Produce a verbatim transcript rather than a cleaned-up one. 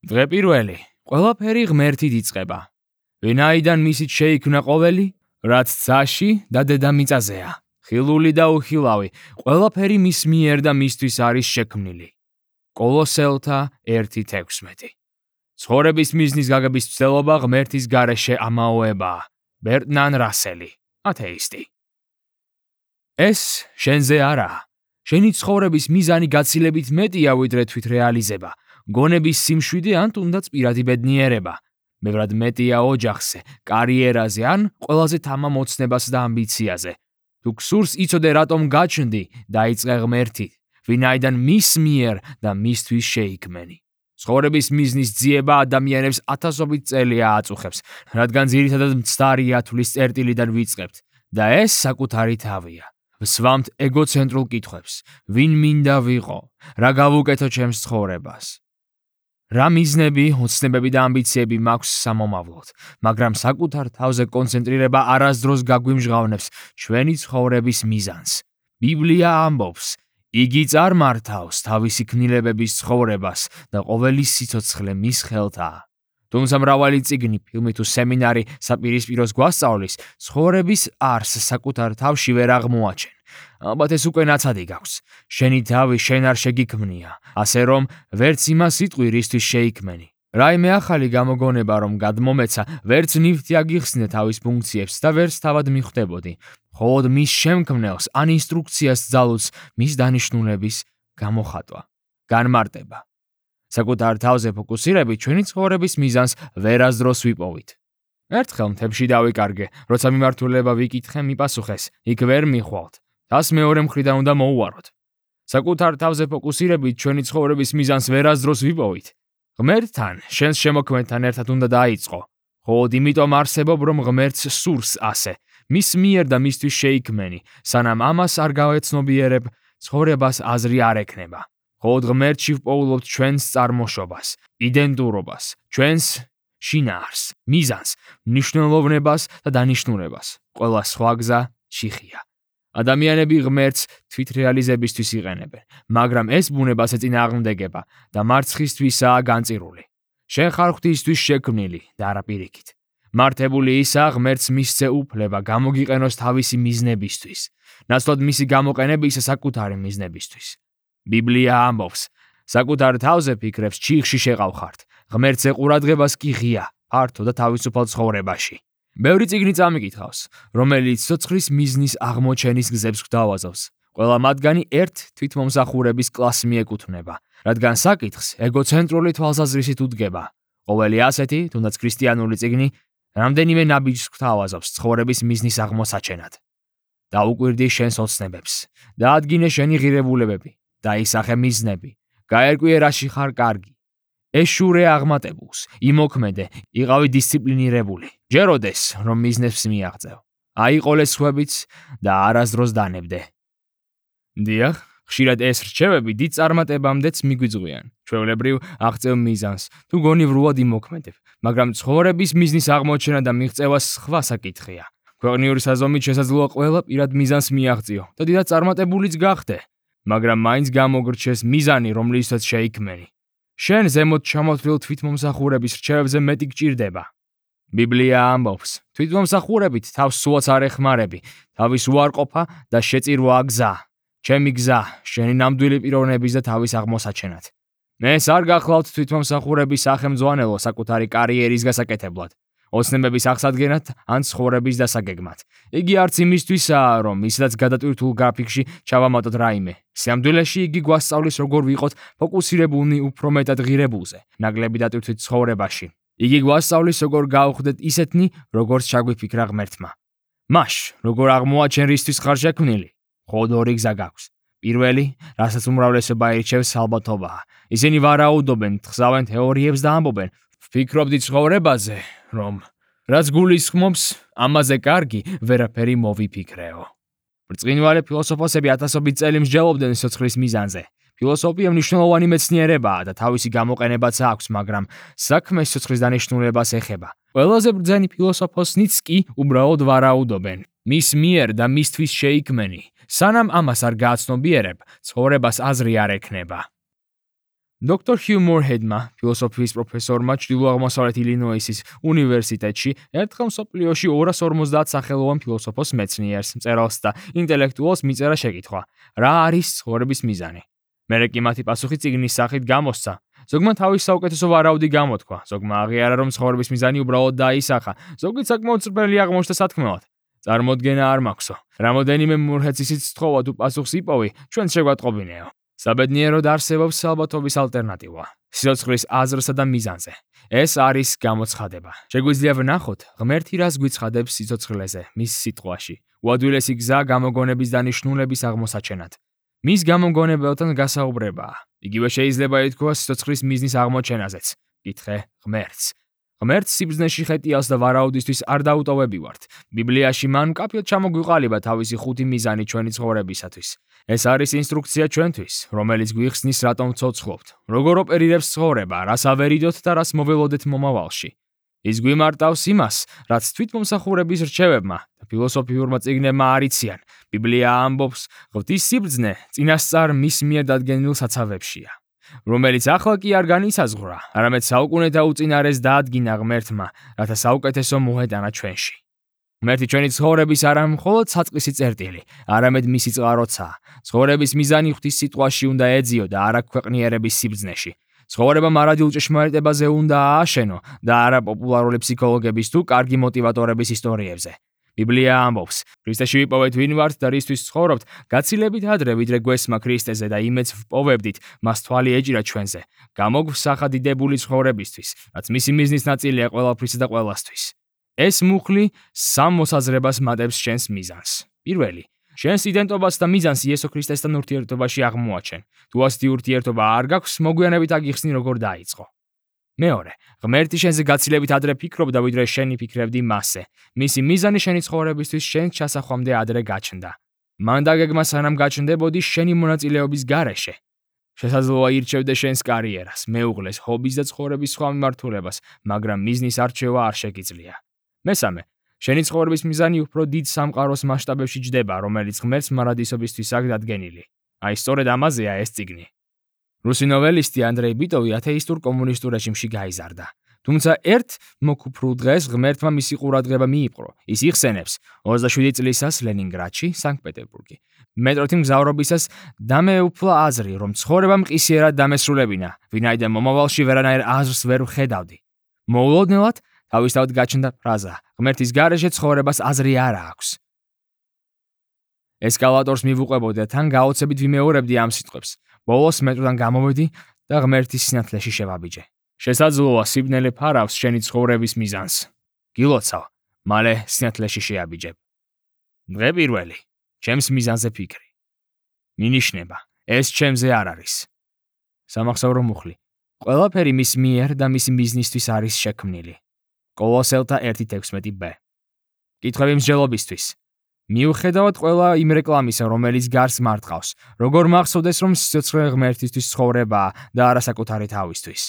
დღე პირველი, ყველაფერი ღმერთით იწყება. ვინაიდან მისით შეიქმნა ყოველი, რაც ძაში და დედამიწაზეა, ხილული და უხილავი, ყველაფერი მის მიერ და მისთვის არის შექმნილი. კოლოსელთა ერთი თექვსმეტი. ცხოვრების მიზნის გაგების ცდელობა ღმერთის გარეშე ამაოებაა. ბერტრან რასელი, ათეისტი. ეს შენზე არაა. შენი ცხოვრების მიზანი გაცილებით მეტია ვიდრე თვითრეალიზება, გონების სიმშვიდე ან თუნდაც პირადი ბედნიერება. მებრად მეტია ოჯახზე, კარიერაზე ან ყველაზე თამამ ოცნებას და ამბიციაზე. თუ გსურს იცოდე რატომ გაჩნდი, დაიწყე ღმერთით, ვინაიდან მის მიერ და მისთვის შეიქმენი. ცხოვრების მიზნის ძიება ადამიანებს ათასობით წელია აწუხებს, რადგან ძირითადად მცდარია თვლის წერტილიდან ვიწყებთ და ეს საკუთარი თავია. ვსვამთ ეგოცენტრულ კითხვებს, ვინ მინდა ვიყო, რა გავუკეთო ჩემს ცხოვრებას. რა მიზნები, ოცნებები და ამბიციები მაქვს სამომავლოდ, მაგრამ საკუთარ თავზე კონცენტრირება არასდროს გაგვიმჟღავნებს ჩვენი ცხოვრების მიზანს. ბიბლია ამბობს, იგი წარმართავს თავისი ქმნილებების ცხოვრებას და ყოველი სიცოცხლე მის ხელთაა. თუმცა მრავალი წიგნი, ფილმი თუ სემინარი საპირისპიროს გვასწავლის, ცხოვრების არსს საკუთარ თავში ვერ აღმოაჩენ. ალბათ ეს უკვე ნაცადი გაქვს. შენი თავი შენ არ შეგიქმნია, ასე რომ ვერც იმას იტყვი, რისთვის შეიქმენი. რაიმე ახალი გამოგონება რომ გადმომეცა, ვერც ნივთი აგიხსნე თავის ფუნქციებს და ვერც თავად მიხვდებოდი. მხოლოდ მის შემქმნელს ან ინსტრუქციას ძალუძს მის დანიშნულების გამოხატვა. განმარტება. საკუთარ თავზე ფოკუსირებით ჩვენი ცხოვრების მიზანს ვერასდროს ვიპოვით. ერთხელ მთებში დავიკარგე, როცა მიმართულება ვიკითხე, მიპასუხეს, იქ ვერ მიხვალთ. თას მეორე მხრიდან უნდა მოუვაროთ. საკუთარ თავზე ფოკუსირებით ჩვენი ცხოვრების მიზანს ვერასდროს ვიპოვით. ღმერთთან, შენს შემოქმედთან ერთად უნდა დაიწყო. მხოლოდ იმიტომ არსებობ, რომ ღმერთს სურს ასე, მის მიერ და მისთვის შეიქმენი, სანამ ამას არ გავეცნობიერებ, ცხოვრებას აზრი არ ექნება. მხოლოდ ღმერთში ვპოულობთ ჩვენს წარმოშობას, იდენტურობას, ჩვენს შინაარსს, მიზანს, მნიშვნელოვნებას და დანიშნულებას. ყველა სხვა გზა ჩიხია. ადამიანები ღმერთს თვითრეალიზებისთვის იყენებენ, მაგრამ ეს ბუნებას ეწინააღმდეგება და მარცხისთვისაა განწირული. შენ ხარ ღვთისთვის შექმნილი და არა პირიქით. მართებული ისაა ღმერთს მისცე უფლება გამოგიყენოს თავისი მიზნებისთვის, ნაცვლად მისი გამოყენებისა საკუთარი მიზნებისთვის. ბიბლია ამბობს, საკუთარ თავზე ფიქრებს ჩიხში შეყავხართ, ღმერთზე ყურადღებას კი ღია, ფართო და თავისუფალ ცხოვრებაში. ბევრი წიგნი წამიკითხავს, რომელიც ცოცხლის მიზნის აღმოჩენის გზებს გვთავაზობს. ყველა მათგანი ერთ თვითმომსახურების კლასს მიეკუთვნება, რადგან საკითხს ეგოცენტრული თვალსაზრისით უდგება. ყოველი ასეთი, თუნდაც ქრისტიანული წიგნი, რამდენიმე ნაბიჯს გვთავაზობს ცხოვრების მიზნის აღმოსაჩენად. დაუკვირდი შენს ოცნებებს, დაადგინე შენი ღირებულებები, დაისახე მიზნები, გაერკვიე რაში ხარ კარგი. ეშურე აღმატებულს, იმოქმედე, იყავი დისციპლინირებული. ჯეროდეს, რომ მიზნებს მიაღწევ. აიყოლე სხვებიც და არასდროს დანებდე. დიახ, ხშირად ეს რჩევები დიდ წარმატებამდეც მიგვიძღვიან. ჩვეულებრივ აღწევ მიზანს, თუ გონივრულად იმოქმედებ, მაგრამ ცხოვრების მიზნის აღმოჩენა და მიღწევა სხვა საკითხია. ქვეყნიური საზომით შესაძლოა ყველა პირად მიზანს მიაღწიო და დიდად წარმატებულიც გახდე, მაგრამ მაინც გამოგრჩეს მიზანი, რომლისთვისაც შეიქმენი. შენ ზემოთ ჩამოთვლილ თვითმომსახურების რჩევებზე მეტი გჭირდება. ბიბლია ამბობს, თვითმომსახურებით თავს სულაც არ ეხმარები, თავის უარყოფა და შეწირვა გზა. ჩემი გზა, შენი ნამდვილი პიროვნების და თავის აღმოსაჩენად. ეს არ გახლავთ თვითმომსახურების სახელმძღვანელო საკუთარი კარიერის გასაკეთებლად, ოცნებების აღსადგენად ან ცხოვრების დასაგეგმად. იგი არც იმისთვისაა, რომ ისედაც გადატვირთულ გრაფიკში ჩავამატოთ რაიმე. სიამდვილეში იგი გვასწავლის, როგორ ვიყოთ ფოკუსირებულნი უფრო მეტად ღირებულზე, ნაკლები დატვირთვით ცხოვრებაში. იგი გვასწავლის, როგორ გავხდეთ ისეთნი, როგორც ჩაგვიფიქრა ღმერთმა. მაშ, როგორ აღმოაჩენ რისთვის ხარ შექმნილი? მხოლოდ ორი გზა გაქვს. პირველი, რასაც უმრავლესობა ირჩევს, ალბათობაა. ისინი ვარაუდობენ, თხზავენ თეორიებს და ამბობენ, ვფიქრობდი ცხოვრებაზე, რომ რაც გულისხმობს, ამაზე კარგი ვერაფერი მოვიფიქრეო. ბრწყინვალე ფილოსოფოსები ათასობით წელი მსჯელობდნენ სიცოცხლის მიზანზე. ფილოსოფია მნიშვნელოვანი მეცნიერებაა და თავისი გამოყენებაც აქვს, მაგრამ საქმე სიცოცხლის დანიშნულებას ეხება. ყველაზე ბრძენი ფილოსოფოსნიც კი უბრალოდ ვარაუდობენ. მის მიერ და მისთვის შეიქმენი, სანამ ამას არ გააცნობიერებ, ცხოვრებას აზრი არ ექნება. დოქტორ ჰიუ მორჰედმა, ფილოსოფიის პროფესორმა ჩრდილო-აღმოსავლეთ ილინოისის უნივერსიტეტში, ერთხელ მსოფლიოში ორას ორმოცდაათ სახელოვან ფილოსოფოს მეცნიერს, მწერალს და ინტელექტუალს მიწერა შეკითხვა: რა არის ცხოვრების მიზანი? მერე კი მათი პასუხი წიგნის სახით გამოსცა. ზოგმა თავის საუკეთესო ვარაუდი გამოთქვა, ზოგმა აღიარა, რომ ცხოვრების მიზანი უბრალოდ დაისახა, ზოგი საკმაოდ წრფელი აღმოჩნდა სათქმელად. წარმოდგენა არ მაქვსო. რამოდენიმე მურჰეცისიც სთხოვა თუ პასუხს იპოვი, ჩვენც შეგვატყობინეო. საბედნიეროდ არსებობს ალბათობის ალტერნატივა. სიცოცხლის აზრსა და მიზანზე. ეს არის გამოცხადება. შეგვიძლია ვნახოთ, ღმერთი რას გვიცხადებს სიცოცხლეზე, მის სიტყვაში. უადვილესი გზა გამოგონების დანიშნულების აღმოსაჩენად. მის გამოგონებელთან გასაუბრებაა. იგივე შეიძლება ითქვას სიცოცხლის მიზნის აღმოჩენაზეც. კითხე ღმერთს. ღმერთს სიბრძნეში ხეტიალს და ვარაუდისთვის არ დაუტოვებივართ. ბიბლიაში მან მკაფიოდ ჩამოგვიყალიბა თავისი ხუთი მიზანი ჩვენი ცხოვრებისათვის. ეს არის ინსტრუქცია ჩვენთვის, რომელიც გვიხსნის რატომ ვცოცხლობთ, როგორ ოპერირებს ცხოვრება, რას ავერიდოთ და რას მოველოდეთ მომავალში. ის გვიმარტავს იმას, რაც თვითმომსახურების რჩევებმა და ფილოსოფიურმა წიგნებმა არ იციან. ბიბლია ამბობს, ღვთის სიბრძნე წინასწარ მის მიერ დადგენილ საცავებშია, რომელიც ახლა კი არ განისაზღვრა, არამედ საუკუნეთა უწინარეს დაადგინა ღმერთმა, რათა საუკეთესო მოეტანა ჩვენში. ღმერთი ჩვენი ცხოვრების არა მხოლოდ საწყისი წერტილი, არამედ მისი წყაროცაა. ცხოვრების მიზანი ღვთის სიტყვაში უნდა ეძიო და არა ქვეყნიერების სიბრძნეში. ცხოვრება მარადიულ ჭეშმარიტებაზე უნდა ააშენო და არა პოპულარული ფსიქოლოგების თუ კარგი მოტივატორების ისტორიებზე. ბიბლია ამბობს, ქრისტეში ვიპოვეთ ვინ ვართ და რისთვის ცხოვრობთ, გაცილებით ადრე ვიდრე გვესმა ქრისტეზე და იმედს ვპოვებდით, მას თვალი ეჭირა ჩვენზე. გამოგვსახა დიდებული ცხოვრებისთვის, რაც მისი მიზნის ნაწილია ყველაფრისა და ყველასთვის. ეს მუხლი სამ მოსაზრებას მატებს შენს მიზანს. პირველი, შენს იდენტობას და მიზანს იესო ქრისტესთან ურთიერთობაში აღმოაჩენ. თუ ასეთი ურთიერთობა არ გაქვს, მოგვიანებით აგიხსნი როგორ დაიწყო. მეორე, ღმერთი შენზე გაცილებით ადრე ფიქრობდა, ვიდრე შენი ფიქრებდი მასზე. მისი მიზანი შენი ცხოვრებისთვის შენს ჩასახვამდე ადრე გაჩნდა. მან დაგეგმა სანამ გაჩნდებოდი შენი მონაწილეობის გარეშე. შესაძლოა ირჩევდე შენს კარიერას, მეუღლეს, ჰობის და ცხოვრების სხვა მიმართულებას, მაგრამ მიზნის არჩევა არ შეგიძლია. მესამე, შენი ცხოვრების მიზანი უფრო დიდ სამყაროს მასშტაბებში ჯდება, რომელიც ღმერთს მარადისობისთვის აქვს დადგენილი. აი, სწორედ ამაზეა ეს წიგნი. რუსი ნოველისტი ანდრეი ბიტოვი ათეისტურ კომუნისტურ რეჟიმში გაიზარდა. თუმცა ერთ მოკუფრულ დღეს ღმერთმა მისი ყურადღება მიიპყრო. ის იხსენებს ოცდაშვიდი წლისას ლენინგრადში, სანქტ-პეტერბურგი. მეტროთი მგზავრობისას დამეუფლა აზრი, რომ ცხოვრება მყისიერად დამესრულებინა, ვინაიდან მომავალში ვერანაირ აზრს ვერ ვხედავდი. მოულოდნელად თავისთავად გაჩნდა ფრაზა: ღმერთის გარეშე ცხოვრებას აზრი არ აქვს. ესკალატორს მივუყვებოდი და თან გაოცებით ვიმეორებდი ამ სიტყვებს. ბოლოს მეტროდან გამოვედი და ღმერთის სინათლეში შევაბიჯე. შესაძლოა სიბნელე ფარავს შენი ცხოვრების მიზანს. გილოცავ, მალე სინათლეში შეაბიჯებ. დღე პირველი, ჩემს მიზანზე ფიქრი. მინიშნება, ეს ჩემზე არ არის. სამახსოვრო მუხლი. ყველაფერი მის მიერ და მისი მიზნისთვის არის შექმნილი. კოლოსელთა ერთი თექვსმეტი ბ. კითხვები მსჯელობისთვის. მიუხედავად ყველა იმ რეკლამისა, რომელიც გარს მარტყავს, როგორ მახსოვდეს, რომ სიცოცხლე ღმერთისთვის ცხოვრებაა და არა საკუთარი თავისთვის.